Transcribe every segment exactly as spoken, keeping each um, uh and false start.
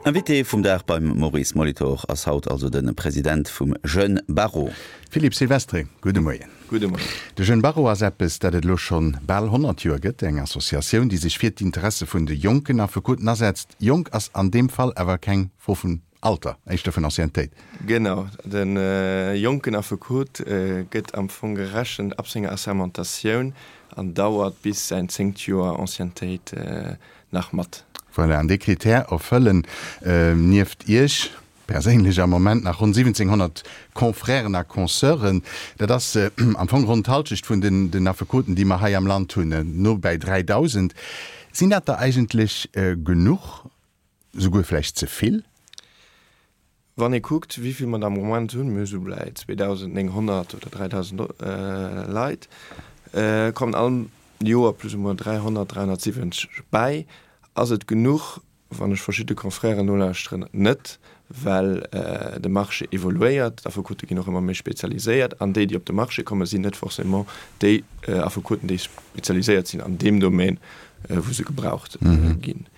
Invité vum Dag beim Maurice Molitor ass haut also de President vum Jeune Barreau. Philippe Silvestri, gudde Moien. Gudde Moien. De Jeune Barreau ass eppes, dat et elo schonn bal honnert Joer gëtt, eng Associatioun, déi sech fir d'Interesse vun de jonken Affekoten asetzt. Jonk ass an deem Fall awer keng Fro vun Alter, éischter vun Anciennetéit. Genau, de jonken Affekot gëtt am Fong gerechent ab senger Assermentatioun an dauert bis säin zéngt Joer Anciennetéit nach mat. Voilà, an dee Critère erfëllen nieft Iech perséinlech am Moment nach ronn siwwenzénghonnert Confrèren a Consœuren. Dat ass am Fong ronn d'Halschecht vun den Affekoten, déi mer hei am Land hunn, no bäi dräidausend. Sinn dat der eigentlech genuch, souguer vläicht ze vill? Wann ee kuckt, wéi vill mer der am Moment hunn, mir hu sou bäi zweedausendnénghonnert oder dräidausend Leit, kommen all Joer plus ou moins dräihonnert, dräihonnertsiwwenzeg bäi. Ass et genuch? Wann ech verschidde Confrèren nolauschteren, net, well de Marché evoluéiert, d'Affekote ginn och ëmmer méi spezialiséiert an déi, déi op de Marché kommen, sinn net forcément déi Affekoten, déi spezialiséiert sinn an deem Domaine, wou se gebraucht ginn.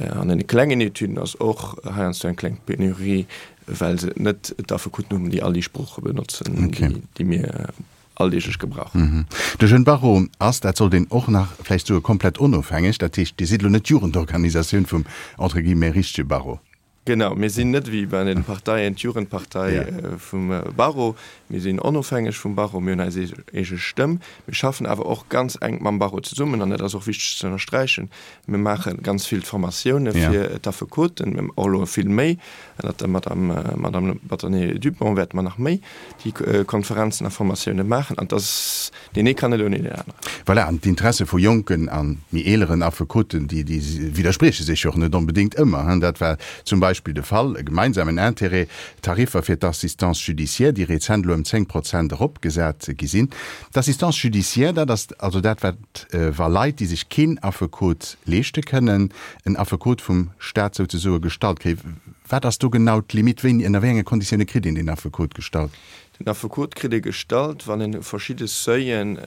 An deene klengen Etüden ass och heiansdo eng kleng Penurie, well se net d'Affekoten hunn, déi all déi Sprooche benotzen, déi mir alldeeglech gebrauchen. De Jeune Barreau ass, dat sollt een och nach vläicht soen, komplett onofhängeg. Dat heescht, Dir sidd elo net d'Jugendorganisatioun vum, entre guillemets, richtege Barreau. Genau, mir sinn net wéi bei den Parteien d'Jugendpartei vum Barreau. Mir sinn onofhängeg vum Barreau, mir hunn eis eege Stëmm. Mir schaffen awer och ganz enk mam Barreau zesummen an dat ass och wichteg ze ënnersträichen. Mir maache ganz vill Formatioune fir d'Affekoten, och elo vill méi. Ënnert der Madame Madame Bâtonnier Dupont wäerte mer nach méi déi Konferenzen a Formatioune maachen. An dass deen ee kann net ouni deen aneren. Voilà, an d'Interesse vu jonken a méi eeleren Affekoten, déi déi widdersprieche sech jo och net onbedéngt ëmmer. Dat war zum Beispill de Fall, e gemeinsamen Intérêt, d'Tariffer fir d'Assistance judiciaire, déi rezent elo ëm zéng Prozent eropgesat gi sinn. D'Assistance judiciaire, dat ass also dat, wat, wa Leit, déi sech keen Affekot leeschte kënnen, en Affekot vum Staat souzesoe gestallt kréien. Wat ass do genau d'Limite? Wéini, ënner wéi enge Konditioune kritt een deen Affekot gestallt? Den Affekot kritt ee gestallt, wann en verschidde Seuilen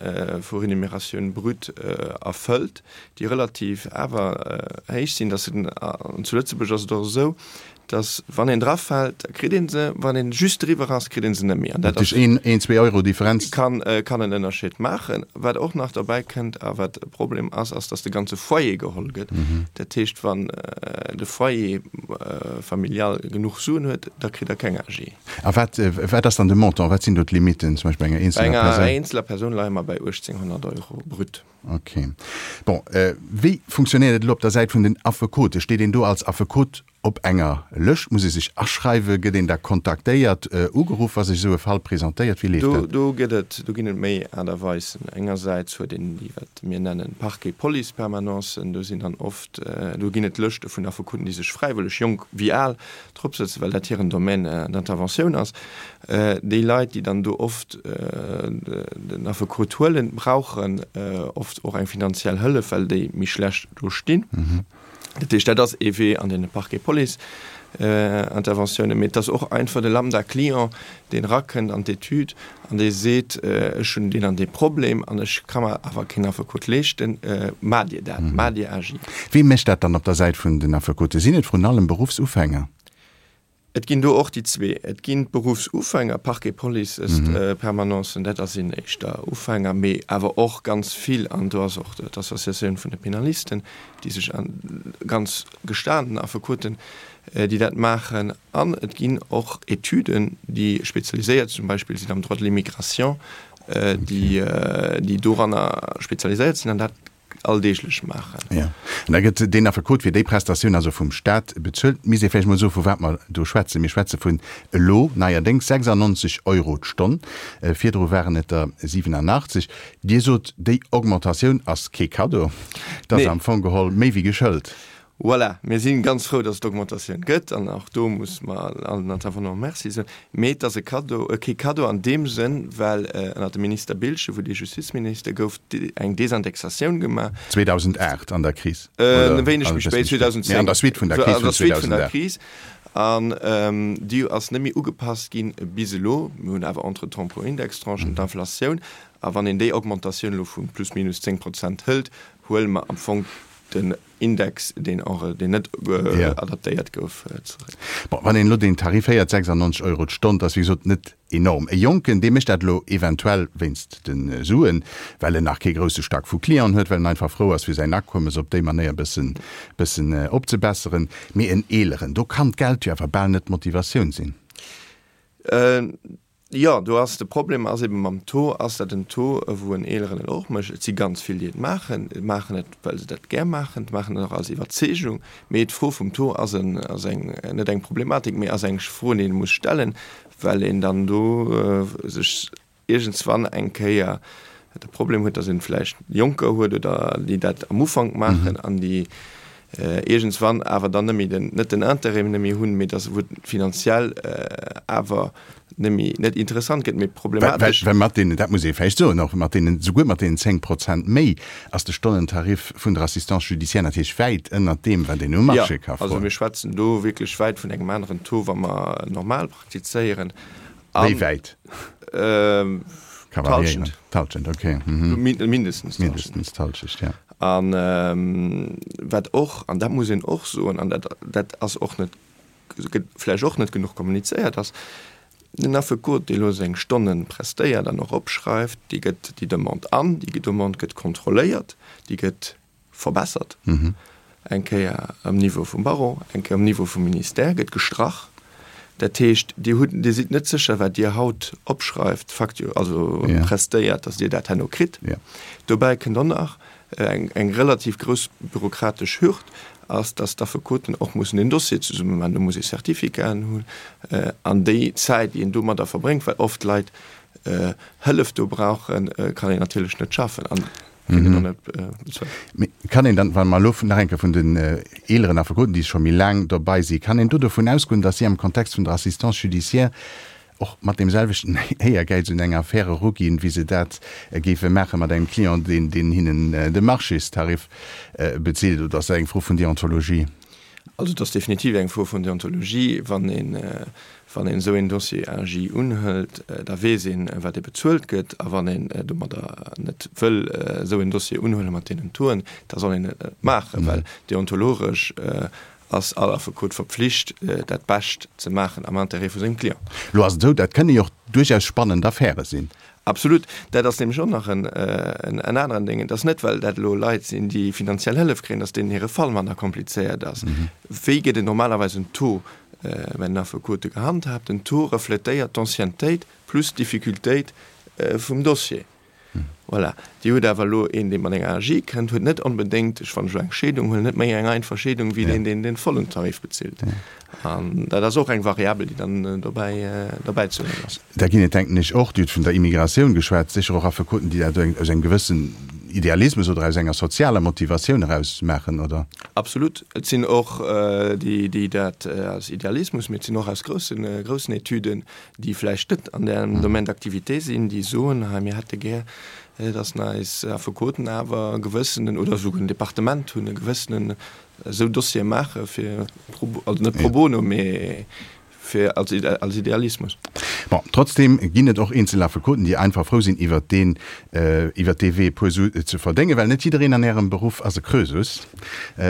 vu Rémunératioun brute erfëllt, déi relativ awer héich sinn. Dass en, an zu Lëtzebuerg ass et och esou, dass wann een drafält, da kritt ee se, wann een just driwwer ass, kritt ee se net méi. An dat ass. Een, een, zwee Euro Differenz. Kann, kann en Ënnerscheed maachen. Wat och nach derbäi kënnt a wat e Problem ass, ass, dass de ganze Foyer geholl gëtt. Dat heescht, wann de Foyer familial genuch Suen huet, da kritt der keng A G. A wat, wat ass dann de Montant? Wat sinn do d'Limitten, zum Beispill bei enger eenzeler Persoun? Bei enger eenzeler Persoun leie mer bei uechtzénghonnert Euro brut. Ok. Bon, wéi funktionéiert et elo op der Säit vun den Affekote? Steet een do als Affekot op enger Lëscht? Muss ee sech aschreiwen? Gëtt een da kontaktéiert, ugeruff, wa sech esou e Fall presentéiert? Wéi leeft dat? Do gëtt et, do ginn et méi Aart a Weisen. Engersäits huet een déi, wat mir nennen Parquet-Police-Permanencen. Do sinn dann oft, do ginn et Lëschte vun Affekoten, déi sech fräiwëlleg, jonk wéi al, drop sëtzen, well dat hiren Domaine d'interventioun ass. Déi Leit, déi dann do oft den Affekot huelen, brauchen oft och eng finanziell Hëllef, well déi méi schlecht do stinn. Dat heescht, dat ass ee Wee an deene Parquet-Police-Interventiounen. Mee et ass och einfach de Lambda-Client, deen erakënnt an d'Etüd an dee seet, Ech hunn deen an dee Problem an ech ka mer awer keen Affekot leeschten, maacht Dir dat, maacht Dir A G. Wie mécht dat dann op der Säit vun den Affekote? Sinn et vrun allem Beruffsufänger? Et ginn do och déi zwee. Et ginn d'Beruffsufänger, Parquet, Police, Permanencen, dat ass sinn éischter Ufänger, mee awer och ganz vill, an do ass och d'Associatioun vun de Penalisten, déi sech an ganz gestanen Affekoten, déi dat maachen. An et ginn och Etüden, déi spezialiséiert zum Beispill sinn am Droit de l'immigration, déi déi doranner spezialiséiert sinn an dat alldeeglech maachen. Jo, an da gëtt deen Affekot fir déi Prestatioun also vum Staat bezuelt. Misst ee vläicht mol soen, vu wat mer do schwätzen. Mir schwätze vun elo neierdéngs sechsundneunzeg Euro d'Stonn, virdru waren et der siwenanachtzeg. Dir sot, déi Augmentatioun ass kee Kaddo, dat ass am Fong geholl méi wéi geschëlt. Voilà, mir si ganz frou, dass et d'Augmentatioun gëtt an och do muss mer allen Intervenanten Merci soen. Mee et ass e Kaddo, kee Kaddo an deem Sënn, well ënnert dem Minister Biltgen, wou dee Justizminister gouf, eng Desindexatioun gemaach. zweedausendacht an der Kris, oder? E wéineg méi spéit, zweedausendzéng. Mee an der Suite vun der Kris vun zweedausendacht. An déi ass net méi ugepasst ginn bis elo. Mir hunn awer entretemps e puer Indextranchen, d'Inflatioun. A wann een déi Augmentatioun elo vu plus minus zéng Prozent hëlt, huele mer am Fong den Index, deen deen net adaptéiert gouf, zeréck. Bon, wann een elo deen Tarif héiert, sechsundneunzeg Euro d'Stonn, dat ass wéi gesot net enorm. E Jonken, dee mécht dat elo eventuell wéinst de Suen, well en nach kee grousse Stack vu Clienten huet, well en einfach frou ass, fir säin Akommes op déi Manéier e bëssen, bëssen opzebesseren. Mee en Eeleren, do kann d'Geld jo awer bal net d'Motivatioun sinn. Jo, do ass de Problem ass eben mam Taux, ass dat en Taux, wou en Eeleren et och mécht? Et si ganz vill, déi et maachen, maachen et, well se dat gär maachen, maachen et och aus Iwwerzeegung. Mee d'Fro vum Taux ass en, ass eng, net eng Problematik, mee ass eng Fro, déi ee muss stellen, well een dann do sech iergendswann eng Kéier de Problem huet, datt een vläicht Jonker huet oder déi dat am Ufank maachen an déi iergendswann awer dann net méi den, net den Intérêt net méi hunn, mee datt wou et finanziell awer net méi, net interessant gëtt, mee problematesch. Well mat deenen, dat muss ee vläicht soen och, mat deenen, souguer mat deenen zéng Prozent méi ass de Stonnentarif vun der Assistance judiciaire natierlech wäit ënnert deem, wat een um Marché ka froen. Jo, also mir schwätzen do wierklech wäit vun engem aneren Taux, wa mer normal praktizéieren. Wéi wäit? Ka variéieren. D'Halschent, okay. Mindestens d'Halschent. Mindestens d'Halschent, ja. A wat och, an dat muss een och soen, an dat, dat ass och net, gëtt vläicht och net genuch kommunizéiert, ass, den Affekot, dee elo seng Stonne prestéiert an och opschreift, dee gëtt déi Demande an, déi Demande gëtt kontrolléiert, déi gëtt verbessert, eng Kéier um Niveau vum Barreau, eng Kéier um Niveau vum Ministère gëtt gestrach. Dat heescht, Dir hutt, Dir sidd net sécher, wat Dir haut opschreift, factu-, also prestéiert, datt Dir dat herno kritt. Dobäi kënnt och nach eng, eng relativ grouss bürokratesch Hürd, ass, datt d'Affekoten och mussen den Dossier zesumme maachen. Do muss ee Certificaten hunn. An déi Zäit, déi een domadder verbréngt, well oft Leit Hëllef do brauchen, kann een natierlech net schaffen. An Mee kann een dann, wa mer elo nach eng Kéier vun den eeleren Affekoten, déi scho méi laang dobei sinn, kann een do dovun ausgoen, datt si am Kontext vun der Assistance judiciaire och mat deem selwechten Éiergäiz un eng Affär eruginn, wéi se dat géife maache mat engem Client, deen, deen hinnen de Marchéstarif bezilt? Oder ass dat eng Fro vun Deontologie? Also et ass definitiv eng Fro vun Deontologie. Wann een, wann een esou een Dossier A J unhëlt, da weess een, wat ee bezuelt gëtt. A wann een domadder net wëll esou een Dossier unhuelen mat deenen Tauxen, da soll een et net maachen, well deontologesch ass all Affekot verpflicht, dat Bescht ze maachen am Intérêt vu sengem Client. Elo ass et esou, dat kënne jo och duerchaus spannend Affäre sinn. Absolut. Dat ass nämlech och nach en aneren Ding. Et ass net, well dat elo Leit sinn, déi finanziell Hëllef kréien, datt deenen hire Fall manner komplizéiert ass. Wéi gëtt et normalerweis en Taux bei den Affekote gehandhaabt? Den Taux refletéiert d'Anciennetéit plus d'Difficultéit vum Dossier. Voilà. Dir hutt awer elo een, dee mat enger A G kënnt, huet net onbedéngt, ech wann ech elo eng Scheedung huelen, net méi eng einfach Scheedung wéi deen, deen den vollen Tarif bezilt. An dat ass och eng Variabel, déi dann dobäi, dobäi ze huelen ass. Da ginn et, denken ech, och, Dir hutt vun der Immigratioun geschwat, sécher och Affekoten, déi dat aus engem gewëssen Idealismus oder aus enger sozialer Motivatioun eraus maachen, oder? Absolut. Et sinn och déi, déi dat aus Idealismus, mee et sinn och aus groussen, groussen Etüden, déi vläicht net an därem Domaine d'activité sinn, déi soen, hei mir hätte gär, dass eis Affekoten awer e gewëssenen, oder esouguer en Departement hunn, e gewëssenen esou Dossiere maache fir, also net pro bono, mee fir als, als Idealismus. Bon, trotzdem ginn et och eenzel Affekoten, déi einfach frou sinn, iwwert deen, iwwert dee Wee e puer Su ze verdéngen, well net jiddereen an Ärem Beruff ass e Krösus,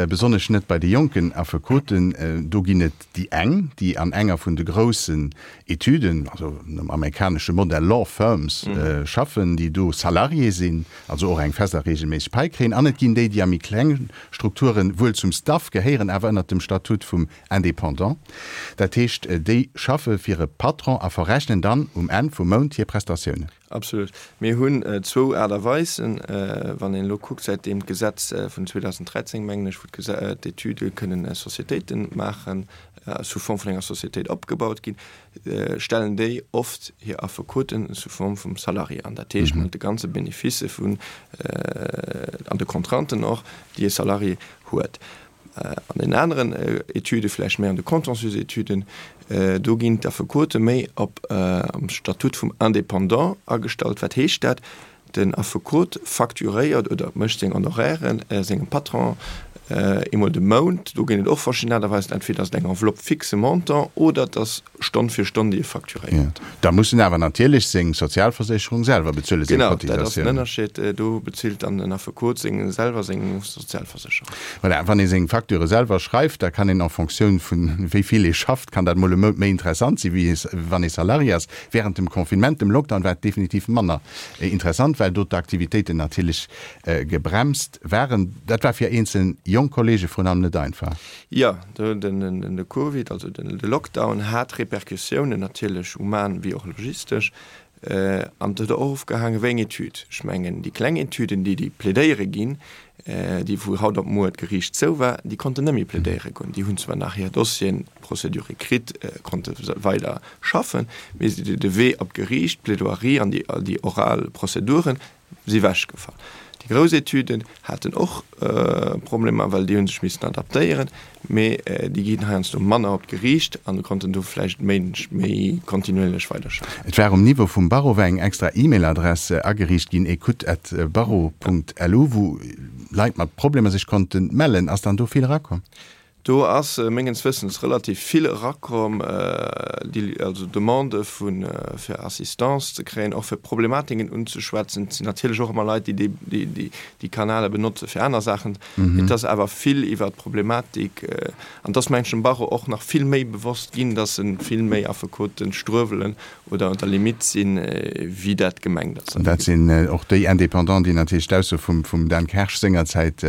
besonnesch net bei de jonken Affekoten. Do ginn et déi eng, déi an enger vun de groussen Etüden, also nom amerikanesche Modell Law Firms, schaffen, déi do Salarié sinn, also och eng fest a reegelméisseg Pai kréien, an et ginn déi, déi a méi kleng Strukturen wuel zum Staff gehéieren, awer ënnert dem Statut vum Indépendant. Dat heescht, déi schaffe fir e Patron a verrechnen dann um Enn vum Mount hir Prestatiounen. Absolut. Mir hunn zwou Aart a Weisen. Wann een elo kuckt, säitdeem d'Gesetz vun zweedausenddräizéng, mengen ech, wou d'Etüde kënnen Sociétéite maachen, sous forme vun enger Sociétéit opgebaut ginn, stellen déi oft hir Affekoten sous forme vum Salarié an. Dat heescht, mat de ganze Beneficë vun, an de Contrainten och, déi e Salarié huet. An den aneren Etüde, vläicht méi an de Contentieux-Etüden, do ginn d'Affekote méi op am Statut vum Indépendant agestallt. Wat heescht dat? Den Affekot facturéiert oder mécht seng Honorairen sengem Patron Eemol de Mount, do ginn et och verschidden Aart a Weisen, entweder ass et eng Enveloppe fixe Montant oder et ass Stonn fir Stonn, déi ee facturéiert. Da muss en awer natierlech seng Sozialversécherung selwer bezuelen, seng Genau, dat ass den Cotisatioun. Ënnerscheed. Do bezilt dann den Affekot seng selwer seng Sozialversécherung. Voilà, wann ee seng Facture selwer schreift, da kann een en Fonctioun vun wéi vill ee schafft, kann dat mol e Mount méi interessant si wéi wann ee Salarié ass. Während dem Confinement, dem Lockdown, war et definitiv manner interessant, well do d'Aktivitéiten natierlech gebremst waren. Dat war fir eenzel jonk Kollege vrun allem net einfach. Jo, de Covid, also de Lockdown hat Repercussiounen natierlech human wéi och logistesch. An et huet och ofgehaangen, wéi eng Etüd. Ech mengen, déi kleng Etüden, déi déi plädéiere ginn, déi wou haut op muer d'Geriicht zou war, déi konnten net méi plädéiere goen. Déi hunn zwar nach hir Dossieren, Procédurë kritt, konnte weider schaffen, mee de Wee op d'Geriicht, d'Plaidoirie an déi oral Prozeduren, si wechgefall. Déi grouss Etüden haten och Problemer, well déi hu sech missen adaptéieren, mee déi ginn heiansdo manner op d'Geriicht an konnten do vläicht méi méi kontinuierlech weiderschaffen. Et war um Niveau vum Barreau war eng extra E-Mail-Adress ageriicht ginn, ecoute at barreau Punkt lu, wou Leit mat Problemer sech konnte mellen. Ass dann do vill erakomm? Do ass mengens Wëssens relativ vill erakomm, déi also Demandë vu fir Assistance ze kréien, och fir Problematiken unzeschwätzen. Et sinn natierlech och ëmmer Leit, déi déi déi Kanäle benotze fir aner Saachen. Et ass awer vill iwwert d'Problematik, an et ass mengen ech dem Barreau och nach vill méi bewosst ginn, datt e vill méi Affekote struewelen oder un der Limite sinn, wéi dat gemengt ass. An dat sinn och déi Indépendants, déi natierlech d'Ausso vum vum Dan Kersch sengerzäit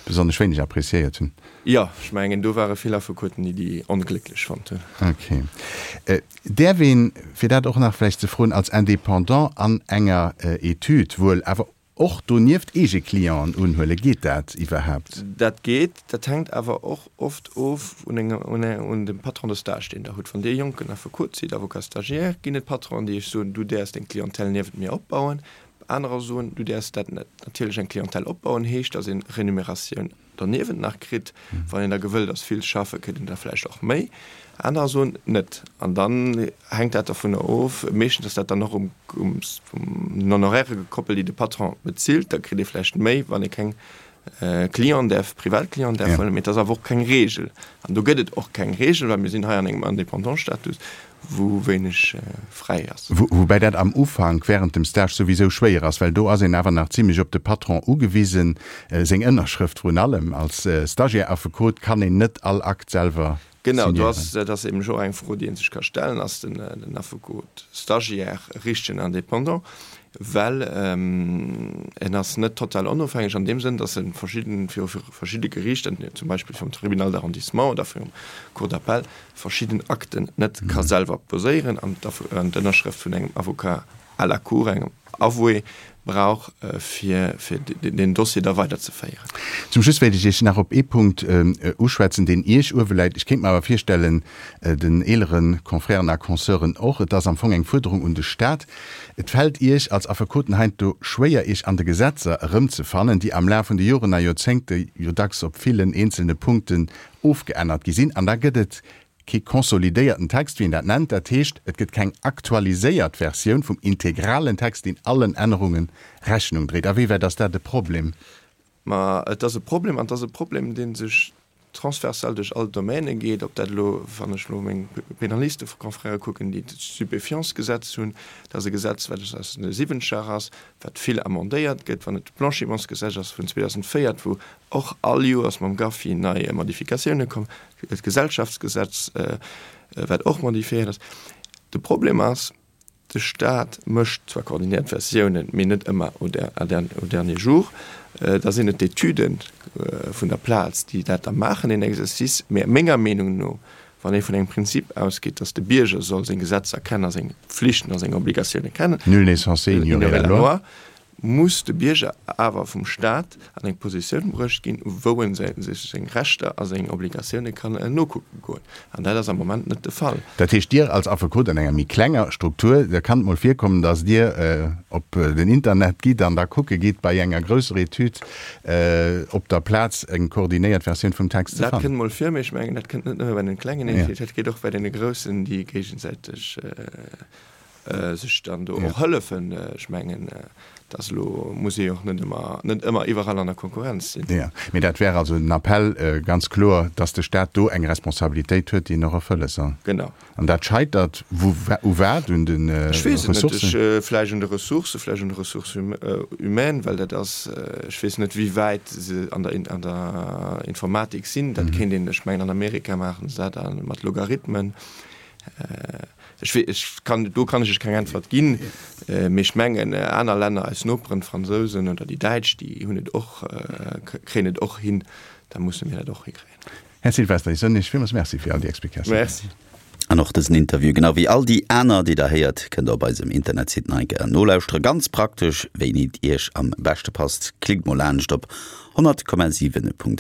besonnesch wéineg appréciéiert hunn. Jo, ech mengen, do ware vill Affekoten, déi déi onglécklech fonnt hunn. Ok. Däerf een, fir dat och nach vläicht ze froen, als Indépendant an enger Etüd wuel awer och donieft eege Clienten unhuelen? Geet dat iwwerhaapt? Dat geet. Dat hänkt awer och oft of un engem, un dem Patron de stage, deen Der hutt. Wann Dir jonken Affekot sidd, Avocat stagiaire, ginn et Patronen, déi Iech soen, Du däerfs deng Clientèle niewent mir opbauen. Anerer soen, Du däerfs dat net. Natierlech, eng Clientèle opbauen heescht, dass een Renumeratioun doniewent nach kritt. Wann een da gewëllt ass, vill ze schaffen, kritt een der vläicht och méi. Anerer soen, net. An dann hänkt dat dovunner of. Meeschtens ass dat dann och um den Honoraire gekoppelt, déi de Patron bezilt. Da kritt ee vläicht méi, wann ee keng Clienten däerf, Privatclienten däerf huelen. Mee et ass awer och keng Reegel. An do gëtt et och keng Reegel, well mir sinn hei an engem Indépendant-Status, wou wéineg fräi ass. Woubäi dat am Ufank während dem Stage souwisou schwéier ass, well do ass een awer nach zimlech op de Patron ugewisen, seng Ënnerschrëft vrun allem. Als Stagiaire-Affekot kann een net all Akt selwer signéieren. Genau, do ass, dat ass eben och eng Fro, déi ee sech ka stellen, Ass den Affekot Stagiaire e richtegen Indépendant? Well en ass net total onofhängeg an deem Sënn, datt e verschidden, viru verschidde Geriichter, zum Beispill virum Tribunal d'arrondissement oder virum Cour d'appel, verschidden Akten net ka selwer poséieren an d'Ënnerschrëft vun engem Avocat à la cour, engem Avoué, brauch, fir deen Dossier da weiderzeféieren. Zum Schluss wéilt ech Iech nach op ee Punkt uschwätzen, deen Iech uewe läit. Ech kéint mer awer virstellen, den eelere Confrèren a Consœuren och, et ass am Fong eng Fuerderung un de Stat. Et fält Iech als Affekoten heiansdo schwéier, Iech an de Gesetzer erëmzefannen, déi am Laf vun de Joren a Joerzéngte jo dacks op villen eenzelne Punkten ofgeännert gi sinn. An da gëtt et kee konsolidéierten Text, wéi een dat nennt, dat heescht, et gëtt keng aktualiséiert Versioun vum integralen Text, deen allen Ännerunge Rechnung dréit. A wéi wäit ass dat e Problem? Ma et ass e Problem, an et ass e Problem, dee sech transversal duerch all d'Domaine geet, ob dat elo, wann ech elo meng Penalisteconfrèrë kucken, déi d'Stupéfiantsgesetz hunn, dat ass e Gesetz, wat aus de Siwwenzeger ass, wat vill amendéiert gëtt, wann et d'Blanchimentsgesetz ass vun zweedausendvéier, wou och all Joers mam GAFI nei Modifikatioune kommen, d'Gesellschaftsgesetz, wat och modifiéiert ass. De Problem ass, de Stat mécht zwar koordinéiert Versiounen, mee net ëmmer au dernier jour. Da sinn et d'Etüde vun der Plaz, déi dat da maachen, deen Exercice. Mee menger Meenung no, wann ee vun engem Prinzip ausgeet, datt de Bierger soll seng Gesetzer kennen a seng Pflichten a seng Obligatioune kennen, Nul n'est censé ignorer la loi. muss de Bierger awer vum Staat an eng Positioun bruecht ginn, wou en sech seng Rechter a seng Obligatioune kann nokucke goen. An dat ass am Moment net de Fall. Dat heescht, Dir als Affekot an enger méi klenger Struktur, da kann et mol virkommen, datt Dir op den Internet gitt an da kucke gitt, bei enger grousser Etüd op der Plaz eng koordinéiert Versioun vum Text ze Dat fannen. kënnt mol vir, mee ech mengen, dat kënnt net nëmme bei den klengen Etüden, dat geet och bei deene groussen, déi géigesäiteg sech dann do och hëllefen. Ech mengen, Dat ass elo, muss ee jo och net ëmmer, net ëmmer iwwerall an der Konkurrenz sinn. Jo, mee dat wär also en Appell, ganz kloer, dass de Stat do eng Responsabilitéit huet, déi en och erfëlle soll. Genau. An dat scheitert wou, u wat? Un de Ech weess et net. Ressourcen? Ech, vläicht un de Ressourcen, vläicht un de Ressources humaines, well dat ass, ech weess net, wéi wäit se an der, an der Informatik sinn. Dat kéint een, ech mengen an Amerika maachen se dat mat Logarithmen. Ech wee, ech kann, do kann ech Iech keng Äntwert ginn, mee ech mengen aner Länner, eis Noperen, d'Fransousen oder déi Däitsch, déi hunn et och, kréien et och hin, da musse mir dat och hikréien. Här Silvester, ech soen Iech villmools Merci fir all déi Explikatiounen. Merci. An och dësen Interview, genau wéi all déi aner, déi Der héiert, kënnt Der op eisem Internetsite nach eng Kéier nolauschteren. Ganz praktesch, wéini et Iech am beschte passt. Klickt mol laanscht op honnert Komma siwen Punkt.